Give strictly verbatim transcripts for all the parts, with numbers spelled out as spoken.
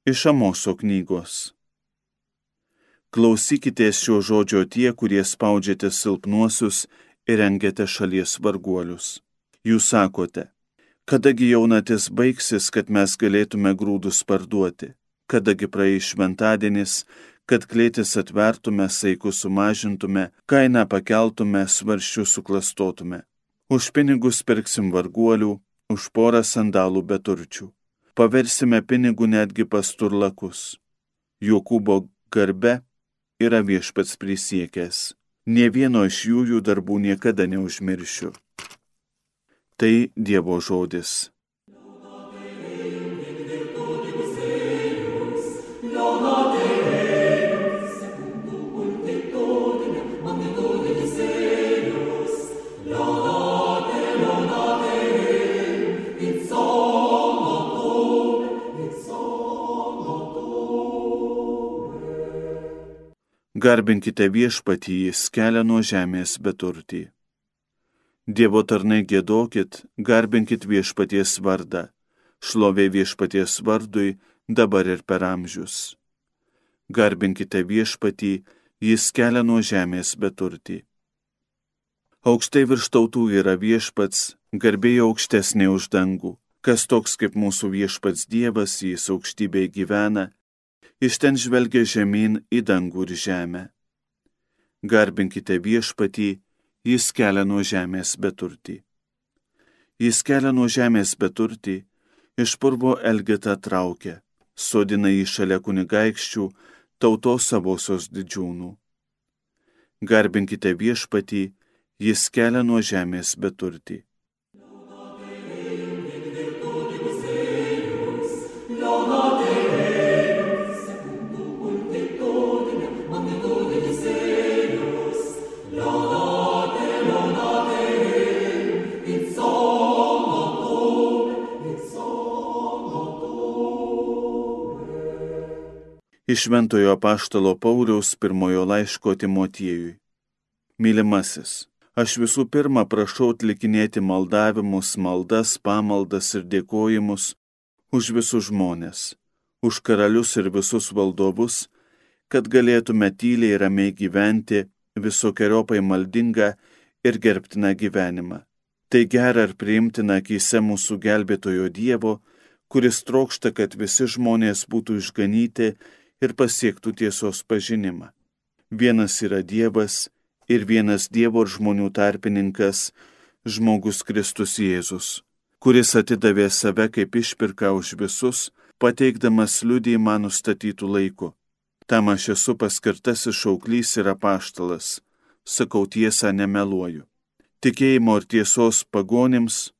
Iš Amoso knygos. Klausykitės šio žodžio tie, kurie spaudžiate silpnuosius ir rengiate šalies varguolius. Jūs sakote, kadagi jaunatis baigsis, kad mes galėtume grūdus parduoti, kadagi praeis šventadienis, kad klėtis atvertume, saikus sumažintume, kainą pakeltume, svarsčius suklastotume. Už pinigus pirksim varguolių, už porą sandalų beturčių. Paversime pinigų netgi pas turlakus. Jokūbo garbe yra viešpats prisiekęs. Nė vieno iš jų jų darbų niekada neužmiršiu. Tai Dievo žodis. Garbinkite viešpatį, jis kelia nuo žemės beturtį. Dievo tarnai giedokit, garbinkit viešpaties vardą, šlovė viešpaties vardui dabar ir per amžius. Garbinkite viešpatį, jis kelia nuo žemės beturtį. Aukštai virš tautų yra viešpats, garbė aukštesnė už dangų. Kas toks kaip mūsų viešpats Dievas, jis aukštybėje gyvena, iš ten žvelgia žemyn į dangų ir žemę. Garbinkite viešpatį, jis kelia nuo žemės beturtį. Jis kelia nuo žemės beturtį, iš purvo elgetą traukia, sodina jį šalia kunigaikščių, tautos savosios didžiūnų. Garbinkite viešpatį, jis kelia nuo žemės beturtį. Iš Šventojo apaštalo Pauliaus pirmojo laiško Timotiejui. Mylimasis, aš visų pirma prašau atlikinėti maldavimus, maldas, pamaldas ir dėkojimus už visus žmones, už karalius ir visus valdovus, kad galėtume tyliai ir ramiai gyventi visokiojopai maldingą ir gerbtiną gyvenimą. Tai gera ir priimtina akyse mūsų gelbėtojo Dievo, kuris trokšta, kad visi žmonės būtų išganyti ir pasiektų tiesos pažinimą. Vienas yra Dievas ir vienas Dievo ir žmonių tarpininkas, žmogus Kristus Jėzus, kuris atidavė save kaip išpirką už visus, pateikdamas liudijimą nustatytų laiku. Tam aš esu paskirtasis šauklys ir apaštalas, sakau tiesą, nemeluoju. Tikėjimo ir tiesos pagonims,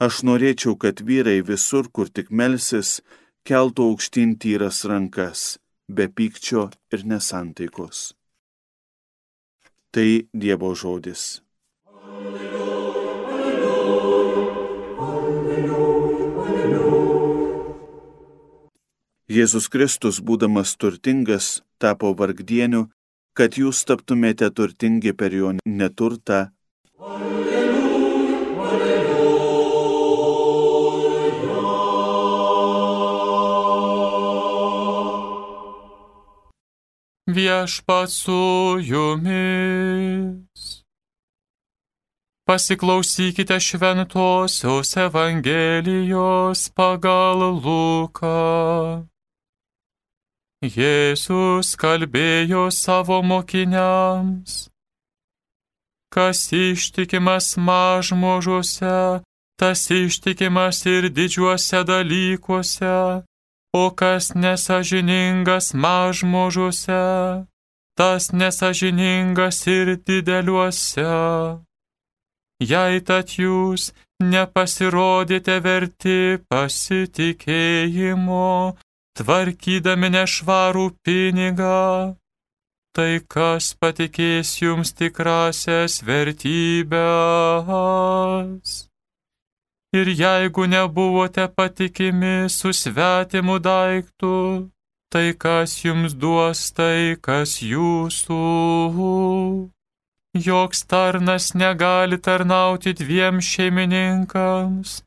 aš norėčiau, kad vyrai visur, kur tik melsis, keltų aukštyn tyras rankas, be pykčio ir nesantaikos. Tai Dievo žodis. Jėzus Kristus, būdamas turtingas, tapo vargdieniu, kad jūs taptumėte turtingi per jo neturtą. Viešpats su jumis. Pasiklausykite Šventosios Evangelijos pagal Luką. Jėzus kalbėjo savo mokiniams: kas ištikimas mažmožuose, tas ištikimas ir didžiuose dalykuose. O kas nesąžiningas mažmožuose, tas nesąžiningas ir dideliuose. Jei tad jūs nepasirodėte verti pasitikėjimo, tvarkydami nešvarų pinigą, tai kas patikės jums tikrasias vertybes? Ir jeigu nebuvote patikimi su svetimu daiktu, tai kas jums duos tai, kas jūsų? Joks tarnas negali tarnauti dviem šeimininkams,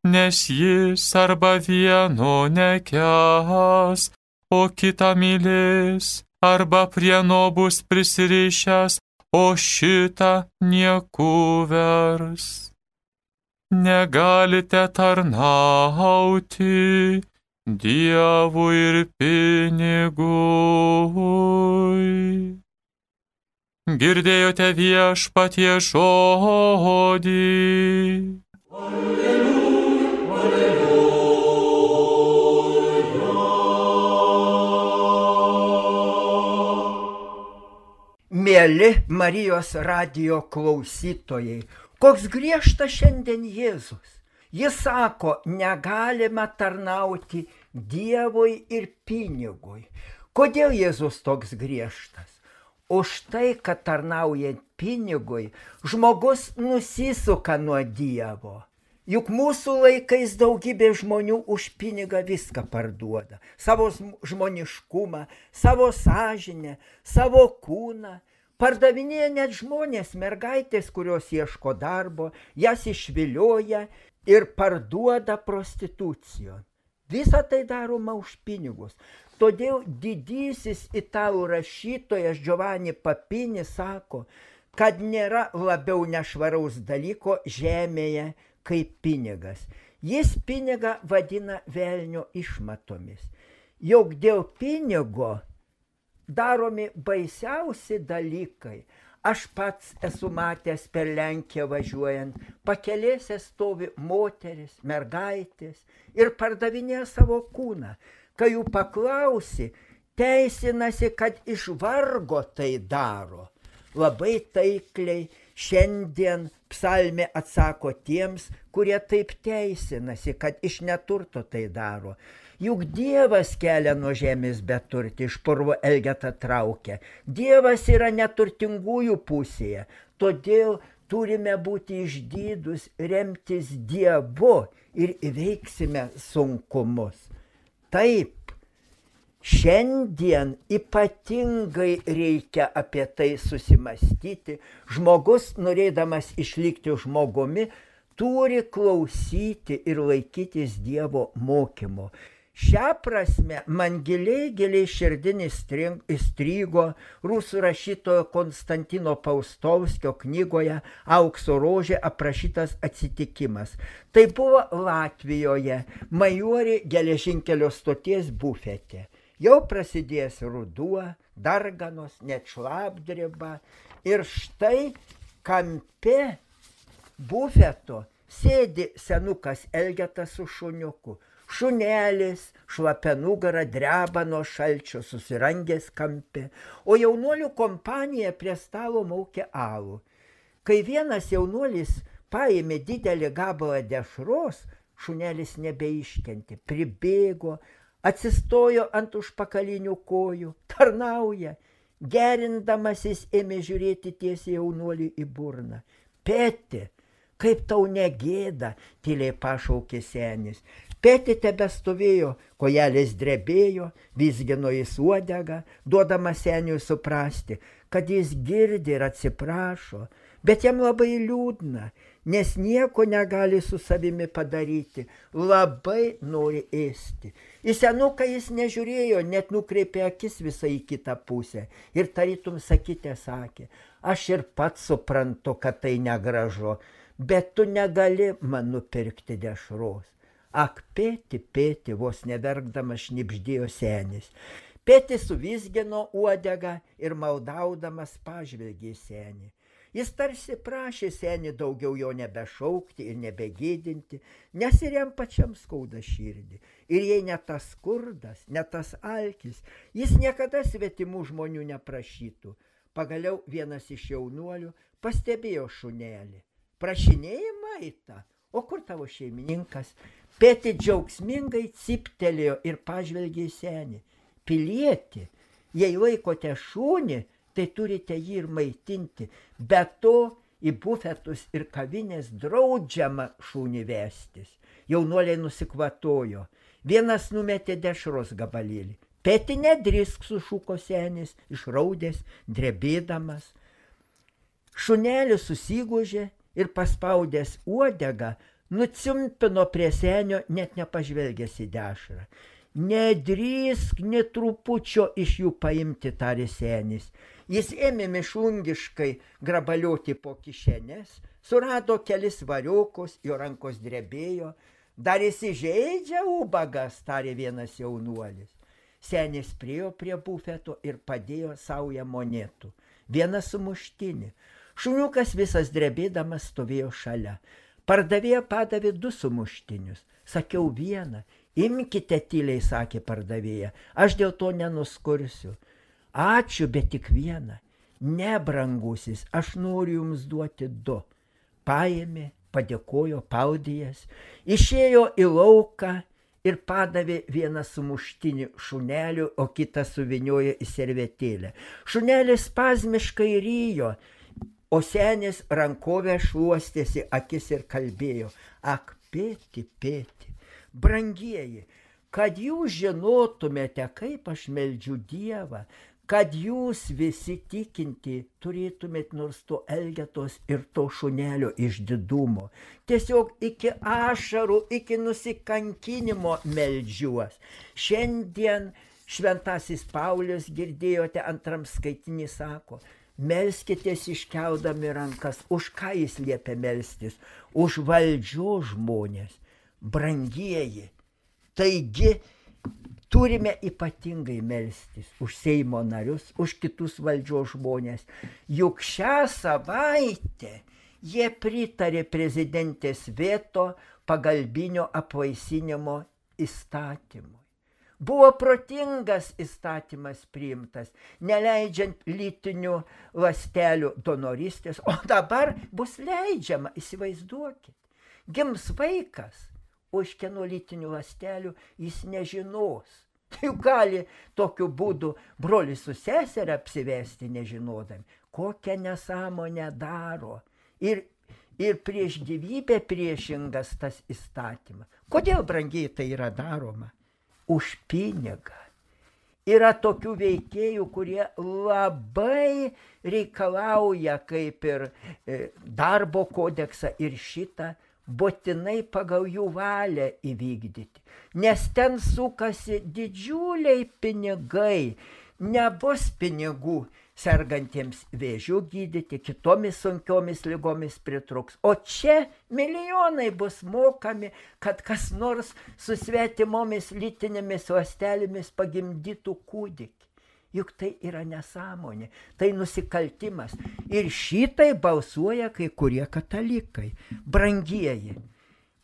nes jis arba vieno nekęs, o kitą mylės, arba prie no bus prisirišęs, o šitą nieku vers. Negalite tarnauti Dievui ir pinigui. Girdėjote viešpatie žodį. Alleluja, alleluja. Mieli Marijos radijo klausytojai, koks griežtas šiandien Jėzus. Jis sako, negalima tarnauti Dievui ir pinigui. Kodėl Jėzus toks griežtas? Už tai, kad tarnaujant pinigui, žmogus nusisuka nuo Dievo. Juk mūsų laikais daugybė žmonių už pinigą viską parduoda. Savo žmoniškumą, savo sąžinę, savo kūną. Pardavinėja net žmonės, mergaitės, kurios ieško darbo, jas išvilioja ir parduoda prostitucijon. Visą tai daroma už pinigus. Todėl didysis italų rašytojas Giovanni Papini sako, kad nėra labiau nešvaraus dalyko žemėje kaip pinigas. Jis pinigą vadina velnio išmatomis. Jog dėl pinigo daromi baisiausi dalykai. Aš pats esu matęs per Lenkiją važiuojant, pakelėse stovi moteris, mergaitės ir pardavinėja savo kūną. Kai jų paklausi, teisinasi, kad iš vargo tai daro. Labai taikliai šiandien psalmė atsako tiems, kurie taip teisinasi, kad iš neturto tai daro. Juk Dievas kelia nuo žemės beturtį, iš purvo elgetą traukia. Dievas yra neturtingųjų pusėje, todėl turime būti išdidūs, remtis Dievu ir įveiksime sunkumus. Taip, šiandien ypatingai reikia apie tai susimastyti. Žmogus, norėdamas išlikti žmogumi, turi klausyti ir laikytis Dievo mokymo. Šią prasme man giliai, giliai širdin įstrigo rusų rašytojo Konstantino Paustovskio knygoje Aukso rožė aprašytas atsitikimas. Tai buvo Latvijoje, Majorė geležinkelio stoties bufete. Jau prasidėjęs ruduo, darganos, net šlapdriba. Ir štai kampe bufeto sėdi senukas elgetas su šuniuku. Šunelis, šlapia nugara, dreba nuo šalčio, susirangęs kampe, o jaunuolių kompanija prie stalo maukė alų. Kai vienas jaunuolis paėmė didelį gabalą dešros, šunelis nebeiškentė, pribėgo, atsistojo ant užpakalinių kojų, tarnauja, gerindamasis ėmė žiūrėti tiesiai jaunuoliui į burną. Peti, kaip tau negėda, tyliai pašaukė senis. Peti tebestovėjo, kojelės drebėjo, vizgino jis uodegą, duodamas seniui suprasti, kad jis girdi ir atsiprašo, bet jam labai liūdna, nes nieko negali su savimi padaryti, labai nori ėsti. Į senuką jis nežiūrėjo, net nukreipė akis visai į kitą pusę ir tarytum sakytė sakė, aš ir pats suprantu, kad tai negražu, bet tu negali man nupirkti dešros. Ak, pėti, pėti, vos neverkdamas šnibždėjo senis. Pėti suvizgino uodegą ir maldaudamas pažvelgė į senį. Jis tarsi prašė senį daugiau jo nebešaukti ir nebegėdinti, nes ir jam pačiam skauda širdį. Ir jei ne tas skurdas, ne tas alkis, jis niekada svetimų žmonių neprašytų. Pagaliau vienas iš jaunuolių pastebėjo šunelį. Prašinėjai maitą, o kur tavo šeimininkas? Pėti džiaugsmingai cyptelėjo ir pažvelgė į senį. Pilieti, jei laikote šunį, tai turite jį ir maitinti. Be to į bufetus ir kavinės draudžiama šunį vestis. Jaunuoliai nusikvatojo. Vienas numetė dešros gabalėlį. Pėti nedrįsk, sušuko senis, išraudęs, drebėdamas. Šunelis susigūžė ir paspaudęs uodegą nuciumpino prie senio, net nepažvelgęs į dešrą. Nedrįsk nė trupučio iš jų paimti, tarė senis. Jis ėmė mišlungiškai grabalioti po kišenės, surado kelis variukus, jo rankos drebėjo. Dar įsižeidžia ubagas, tarė vienas jaunuolis. Senis priėjo prie bufeto ir padėjo saują monetų. Vieną sumuštinį. Šuniukas visas drebėdamas stovėjo šalia. Pardavėja padavė du sumuštinius. Sakiau vieną. Imkite tyliai, sakė pardavėja. Aš dėl to nenuskursiu. Ačiū, bet tik vieną. Ne, brangusis, aš noriu jums duoti du. Paėmė, padėkojo paudijas, išėjo į lauką ir padavė vieną sumuštinį šuneliu, o kitą suvyniojo į servetėlę. Šunelis spazmiškai ryjo, o senis rankovę šluostėsi akis ir kalbėjo. Ak, pėti, pėti, brangieji, kad jūs žinotumėte, kaip aš meldžiu Dievą, kad jūs visi tikinti turėtumėt nors to elgetos ir to šunelio išdidumo. Tiesiog iki ašarų, iki nusikankinimo meldžiuos. Šiandien šventasis Paulius, girdėjote, antram skaitinį sako, melskitės iškeldami rankas. Už ką jis liepia melstis? Už valdžios žmonės. Brangieji, taigi turime ypatingai melstis už Seimo narius, už kitus valdžios žmonės. Juk šią savaitę jie pritarė prezidentės veto pagalbinio apvaisinimo įstatymui. Buvo protingas įstatymas priimtas, neleidžiant lytinių ląstelių donorystės, o dabar bus leidžiama, įsivaizduokit. Gims vaikas, o iš kieno lytinių ląstelių jis nežinos. Tai gali tokiu būdu brolis su seserė apsivesti nežinodami. Kokią nesąmonę daro. Ir, ir prieš gyvybę priešingas tas įstatymas. Kodėl, brangiai, tai yra daroma? Už pinigą. Yra tokių veikėjų, kurie labai reikalauja, kaip ir darbo kodeksą ir šitą, būtinai pagal jų valią įvykdyti. Nes ten sukasi didžiuliai pinigai. Nebus pinigų sergantiems vėžių gydyti, kitomis sunkiomis ligomis pritruks. O čia milijonai bus mokami, kad kas nors su svetimomis lytinėmis ląstelėmis pagimdytų kūdikį. Juk tai yra nesąmonė, tai nusikaltimas. Ir šitai balsuoja kai kurie katalikai. Brangieji,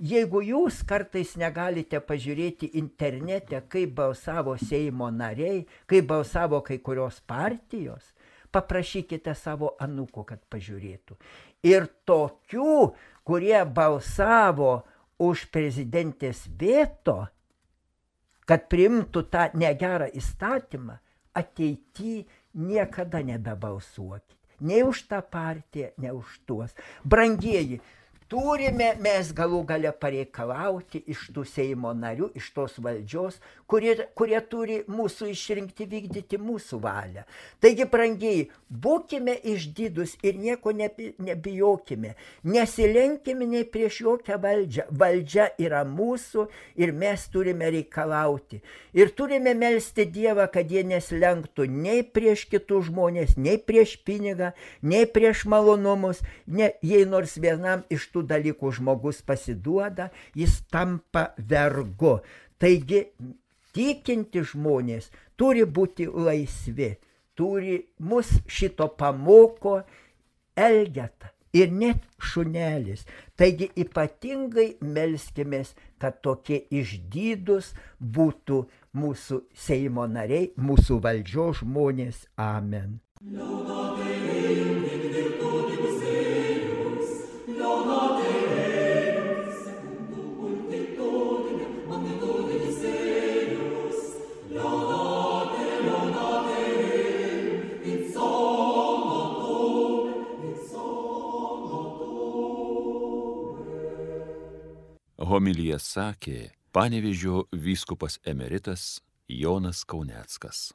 jeigu jūs kartais negalite pažiūrėti internete, kaip balsavo Seimo nariai, kaip balsavo kai kurios partijos, paprašykite savo anūko, kad pažiūrėtų. Ir tokių, kurie balsavo už prezidentės veto, kad priimtų tą negerą įstatymą, ateity niekada nebebalsuokit. Nei už tą partiją, nei už tuos. Brangieji, turime mes galų gale pareikalauti iš tų Seimo narių, iš tos valdžios, kurie, kurie turi mūsų išrinkti vykdyti mūsų valią. Taigi, brangieji, būkime išdidus ir nieko nebijokime. Nesilenkime nei prieš jokią valdžią. Valdžia yra mūsų ir mes turime reikalauti. Ir turime melsti Dievą, kad jie neslenktų nei prieš kitus žmonės, nei prieš pinigą, nei prieš malonumus, ne, jei nors vienam iš tų dalykų žmogus pasiduoda, jis tampa vergu. Taigi, tikinti žmonės turi būti laisvi, turi mus šito pamoko elgetą ir net šunelis. Taigi, ypatingai melskimės, kad tokie išdidūs būtų mūsų Seimo nariai, mūsų valdžios žmonės. Amen. Homiliją sakė Panevėžio vyskupas emeritas Jonas Kauneckas.